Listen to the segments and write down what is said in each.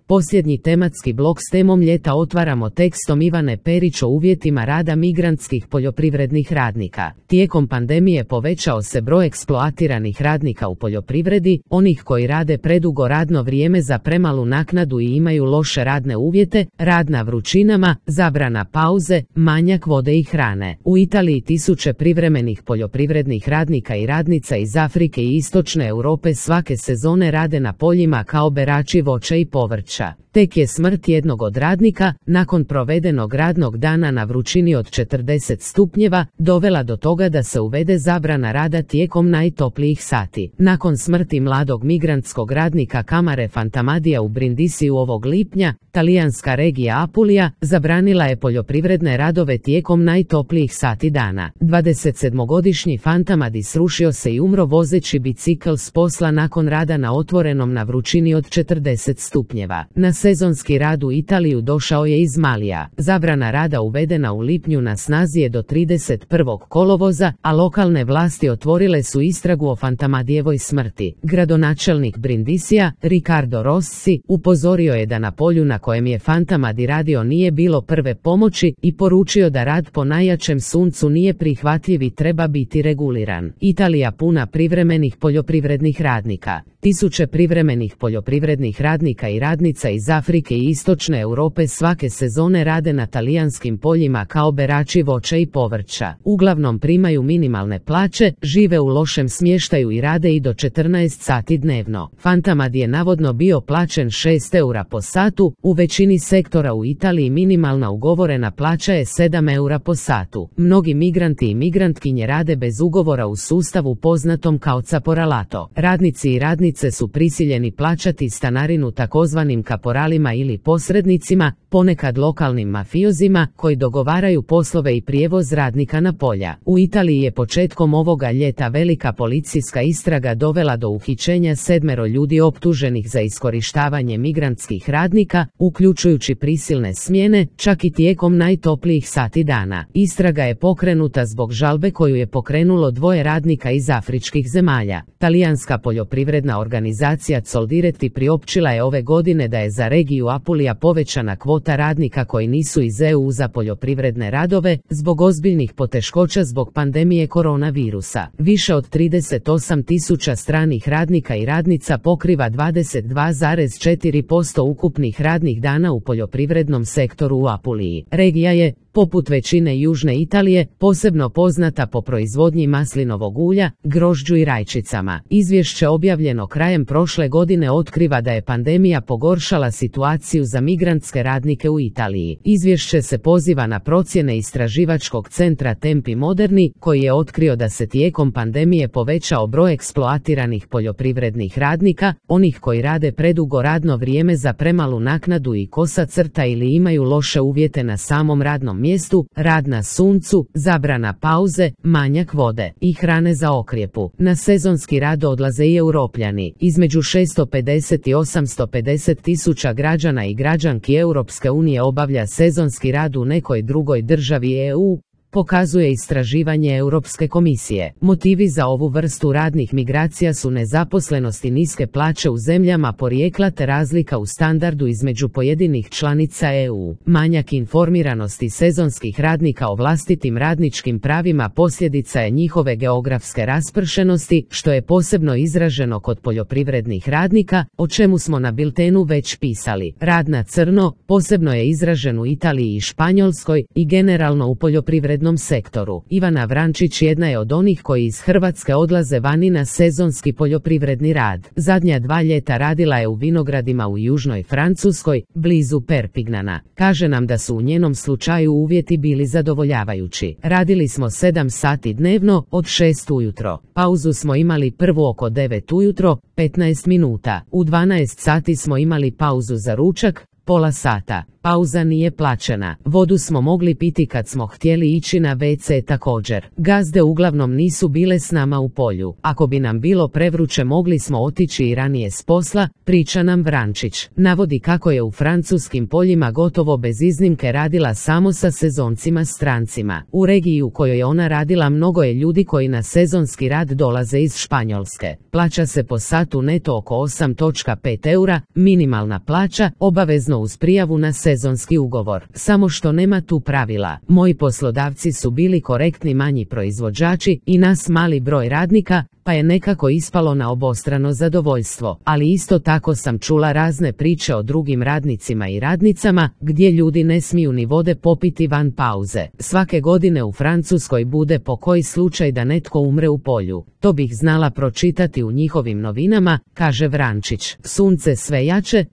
Posljednji tematski blok s temom ljeta otvaramo tekstom Ivane Perić o uvjetima rada migrantskih poljoprivrednih radnika. Tijekom pandemije povećao se broj eksploatiranih radnika u poljoprivredi, onih koji rade predugo radno vrijeme za premalu naknadu i imaju loše radne uvjete, rad na vrućinama, zabrana pauze, manjak vode i hrane. U Italiji tisuće privremenih poljoprivrednih radnika i radnica iz Afrike i Istočne Europe svake sezone rade na poljima kao berači voća i povrća. Tek je smrt jednog od radnika, nakon provedenog radnog dana na vrućini od 40 stupnjeva, dovela do toga da se uvede zabrana rada tijekom najtoplijih sati. Nakon smrti mladog migrantskog radnika Camare Fantamadija u Brindisiju ovog lipnja, talijanska regija Apulija zabranila je poljoprivredne radove tijekom najtoplijih sati dana. 27-godišnji Fantamadi srušio se i umro vozeći bicikl s posla nakon rada na otvorenom na vrućini od 40 stupnjeva. Na sezonski rad u Italiju došao je iz Malija. Zabrana rada uvedena u lipnju na snazi je do 31. kolovoza, a lokalne vlasti otvorile su istragu o Fantamadijevoj smrti. Gradonačelnik Brindisija, Riccardo Rossi, upozorio je da na polju na kojem je Fantamadi radio nije bilo prve pomoći i poručio da rad po najjačem suncu nije prihvatljiv i treba biti reguliran. Italija puna privremenih poljoprivrednih radnika. Tisuće privremenih poljoprivrednih radnika i radnica iz Afrike i Istočne Europe svake sezone rade na talijanskim poljima kao berači voća i povrća. Uglavnom primaju minimalne plaće, žive u lošem smještaju i rade i do 14 sati dnevno. Fantamadi je navodno bio plaćen 6 eura po satu, u većini sektora u Italiji minimalna ugovorena plaća je 7 eura po satu. Mnogi migranti i migrantkinje rade bez ugovora u sustavu poznatom kao caporalato. Radnici i radnice su prisiljeni plaćati stanarinu takozvanim kaporalima ili posrednicima, ponekad lokalnim mafiozima, koji dogovaraju poslove i prijevoz radnika na polja. U Italiji je početkom ovoga ljeta velika policijska istraga dovela do uhićenja 7 ljudi optuženih za iskorištavanje migrantskih radnika, uključujući prisilne smjene, čak i tijekom najtoplijih sati dana. Istraga je pokrenuta zbog žalbe koju je pokrenulo 2 radnika iz afričkih zemalja. Talijanska poljoprivredna organizacija Coldiretti priopćila je ove godine da je za regiju Apulija povećana kvota radnika koji nisu iz EU za poljoprivredne radove, zbog ozbiljnih poteškoća zbog pandemije koronavirusa. Više od 38.000 stranih radnika i radnica pokriva 22,4% ukupnih radnih dana u poljoprivrednom sektoru u Apuliji. Regija je, poput većine južne Italije, posebno poznata po proizvodnji maslinovog ulja, grožđu i rajčicama. Izvješće objavljeno krajem prošle godine otkriva da je pandemija pogoršala situaciju za migrantske radnike u Italiji. Izvješće se poziva na procjene istraživačkog centra Tempi Moderni, koji je otkrio da se tijekom pandemije povećao broj eksploatiranih poljoprivrednih radnika, onih koji rade predugo radno vrijeme za premalu naknadu i kosa crta ili imaju loše uvjete na samom radnom mjestu, rad na suncu, zabrana pauze, manjak vode i hrane za okrjepu. Na sezonski rad odlaze i Europljani. Između 650 i 850 tisuća građana i građanki Europske unije obavlja sezonski rad u nekoj drugoj državi EU, pokazuje istraživanje Europske komisije. Motivi za ovu vrstu radnih migracija su nezaposlenost i niske plaće u zemljama porijekla te razlika u standardu između pojedinih članica EU. Manjak informiranosti sezonskih radnika o vlastitim radničkim pravima posljedica je njihove geografske raspršenosti, što je posebno izraženo kod poljoprivrednih radnika, o čemu smo na biltenu već pisali. Rad na crno posebno je izražen u Italiji i Španjolskoj i generalno u poljoprivrednom sektoru. Ivana Vrančić jedna je od onih koji iz Hrvatske odlaze vani na sezonski poljoprivredni rad. Zadnja 2 ljeta radila je u vinogradima u južnoj Francuskoj, blizu Perpignana. Kaže nam da su u njenom slučaju uvjeti bili zadovoljavajući. Radili smo 7 sati dnevno, od 6 ujutro. Pauzu smo imali prvu oko 9 ujutro, 15 minuta. U 12 sati smo imali pauzu za ručak, pola sata. Pauza nije plaćena. Vodu smo mogli piti kad smo htjeli ići na WC također. Gazde uglavnom nisu bile s nama u polju. Ako bi nam bilo prevruće mogli smo otići i ranije s posla, priča nam Vrančić. Navodi kako je u francuskim poljima gotovo bez iznimke radila samo sa sezoncima strancima. U regiji u kojoj je ona radila mnogo je ljudi koji na sezonski rad dolaze iz Španjolske. Plaća se po satu neto oko 8,5 eura, minimalna plaća, obavezno uz prijavu na sezonski ugovor. Samo što nema tu pravila. Moji poslodavci su bili korektni manji proizvođači i nas mali broj radnika, pa je nekako ispalo na obostrano zadovoljstvo. Ali isto tako sam čula razne priče o drugim radnicima i radnicama, gdje ljudi ne smiju ni vode popiti van pauze. Svake godine u Francuskoj bude po koji slučaj da netko umre u polju. To bih znala pročitati u njihovim novinama, kaže Vrančić. Sunce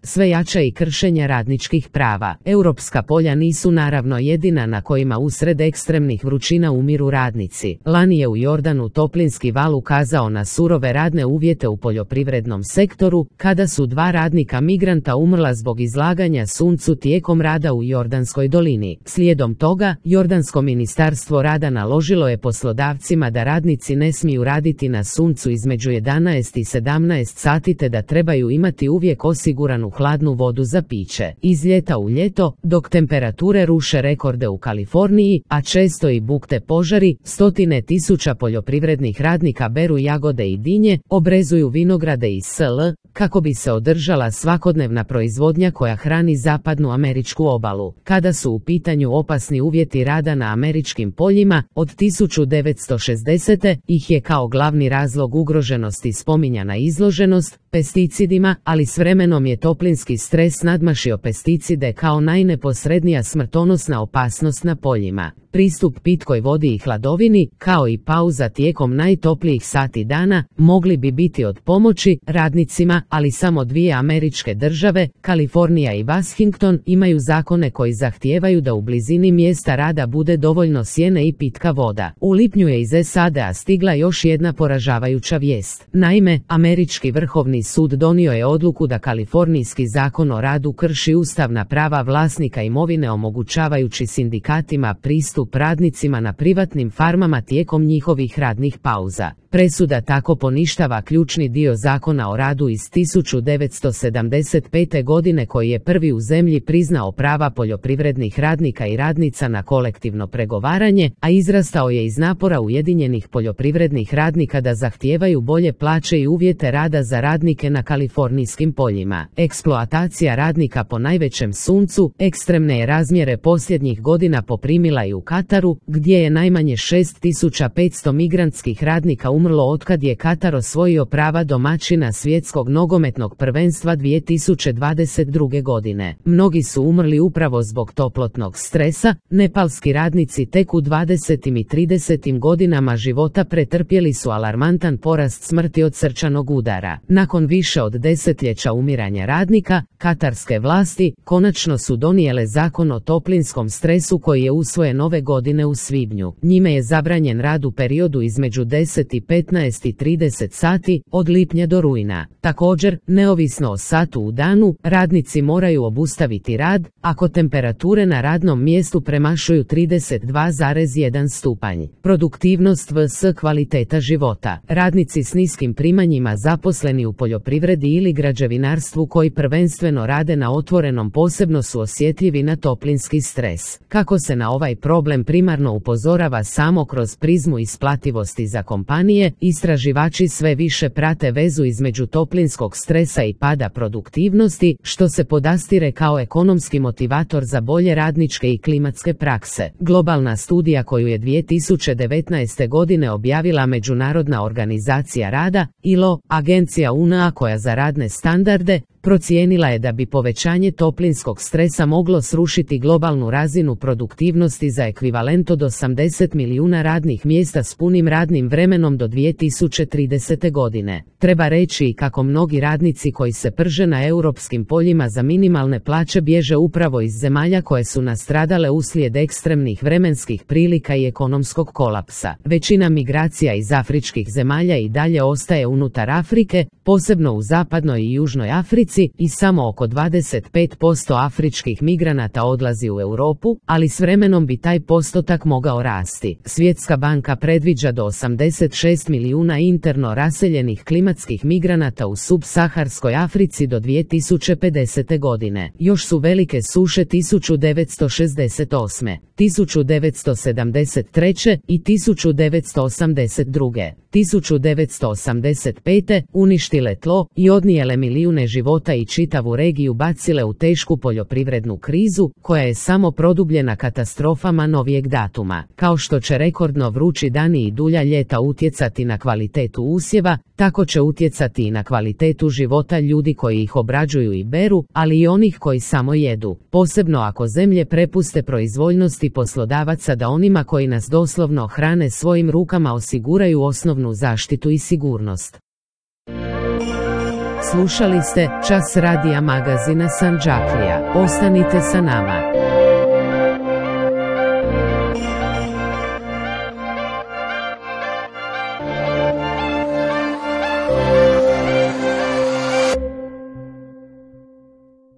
sve jače i kršenja radničkih prava. Europska polja nisu naravno jedina na kojima usred ekstremnih vrućina umiru radnici. Lani je u Jordanu toplinski val ukazao na surove radne uvjete u poljoprivrednom sektoru, kada su 2 radnika migranta umrla zbog izlaganja suncu tijekom rada u Jordanskoj dolini. Slijedom toga, Jordansko ministarstvo rada naložilo je poslodavcima da radnici ne smiju raditi na suncu između 11 i 17 sati te da trebaju imati uvijek osiguranu hladnu vodu za piće. Iz ljeta u ljeto, dok temperature ruše rekorde u Kaliforniji, a često i bukte požari, stotine tisuća poljoprivrednih radnika beru jagode i dinje, obrezuju vinograde i sl. kako bi se održala svakodnevna proizvodnja koja hrani zapadnu američku obalu. Kada su u pitanju opasni uvjeti rada na američkim poljima, od 1960. ih je kao glavni razlog ugroženosti spominjana izloženost pesticidima, ali s vremenom je toplinski stres nadmašio pesticide kao najneposrednija smrtonosna opasnost na poljima. Pristup pitkoj vodi i hladovini, kao i pauza tijekom najtoplijih sati dana, mogli bi biti od pomoći radnicima, ali samo 2 američke države, Kalifornija i Washington, imaju zakone koji zahtijevaju da u blizini mjesta rada bude dovoljno sjene i pitka voda. U lipnju je iz SAD-a stigla još jedna poražavajuća vijest. Naime, američki vrhovni sud donio je odluku da kalifornijski zakon o radu krši ustavna prava vlasnika imovine omogućavajući sindikatima pristup radnicima na privatnim farmama tijekom njihovih radnih pauza. Presuda tako poništava ključni dio zakona o radu iz 1975. godine koji je prvi u zemlji priznao prava poljoprivrednih radnika i radnica na kolektivno pregovaranje, a izrastao je iz napora ujedinjenih poljoprivrednih radnika da zahtijevaju bolje plaće i uvjete rada za radnike na kalifornijskim poljima. Eksploatacija radnika po najvećem suncu ekstremne je razmjere posljednjih godina poprimila i u Kataru, gdje je najmanje 6500 migrantskih radnika umrlo otkad je Katar osvojio prava domaćina svjetskog nogometnog prvenstva 2022. godine. Mnogi su umrli upravo zbog toplotnog stresa. Nepalski radnici tek u 20. i 30. godinama života pretrpjeli su alarmantan porast smrti od srčanog udara. Nakon više od desetljeća umiranja radnika, katarske vlasti konačno su donijele zakon o toplinskom stresu koji je usvojen ove godine u svibnju. Njime je zabranjen rad u periodu između 10 i 15 i 30 sati, od lipnja do rujna. Također, neovisno o satu u danu, radnici moraju obustaviti rad ako temperature na radnom mjestu premašuju 32,1 stupanj. Produktivnost vs kvaliteta života. Radnici s niskim primanjima zaposleni u poljoprivredi ili građevinarstvu koji prvenstveno rade na otvorenom posebno su osjetljivi na toplinski stres. Kako se na ovaj problem primarno upozorava samo kroz prizmu isplativosti za kompanije, istraživači sve više prate vezu između toplinskog stresa i pada produktivnosti, što se podastire kao ekonomski motivator za bolje radničke i klimatske prakse. Globalna studija koju je 2019. godine objavila Međunarodna organizacija rada, ILO, agencija UNA koja za radne standarde, procijenila je da bi povećanje toplinskog stresa moglo srušiti globalnu razinu produktivnosti za ekvivalent od 80 milijuna radnih mjesta s punim radnim vremenom do 2030. godine. Treba reći i kako mnogi radnici koji se prže na europskim poljima za minimalne plaće bježe upravo iz zemalja koje su nastradale uslijed ekstremnih vremenskih prilika i ekonomskog kolapsa. Većina migracija iz afričkih zemalja i dalje ostaje unutar Afrike, posebno u zapadnoj i južnoj Africi, Africi i samo oko 25% afričkih migranata odlazi u Europu, ali s vremenom bi taj postotak mogao rasti. Svjetska banka predviđa do 86 milijuna interno raseljenih klimatskih migranata u subsaharskoj Africi do 2050. godine. Još su velike suše 1968, 1973 i 1982. 1985. uništile tlo i odnijele milijune života i čitavu regiju bacile u tešku poljoprivrednu krizu, koja je samo produbljena katastrofama novijeg datuma. Kao što će rekordno vrući dani i dulja ljeta utjecati na kvalitetu usjeva, tako će utjecati i na kvalitetu života ljudi koji ih obrađuju i beru, ali i onih koji samo jedu. Posebno ako zemlje prepuste proizvoljnosti poslodavaca da onima koji nas doslovno hrane svojim rukama osiguraju osnovnu zaštitu i sigurnost. Slušali ste Čas radija magazina Sandžaklija. Ostanite sa nama.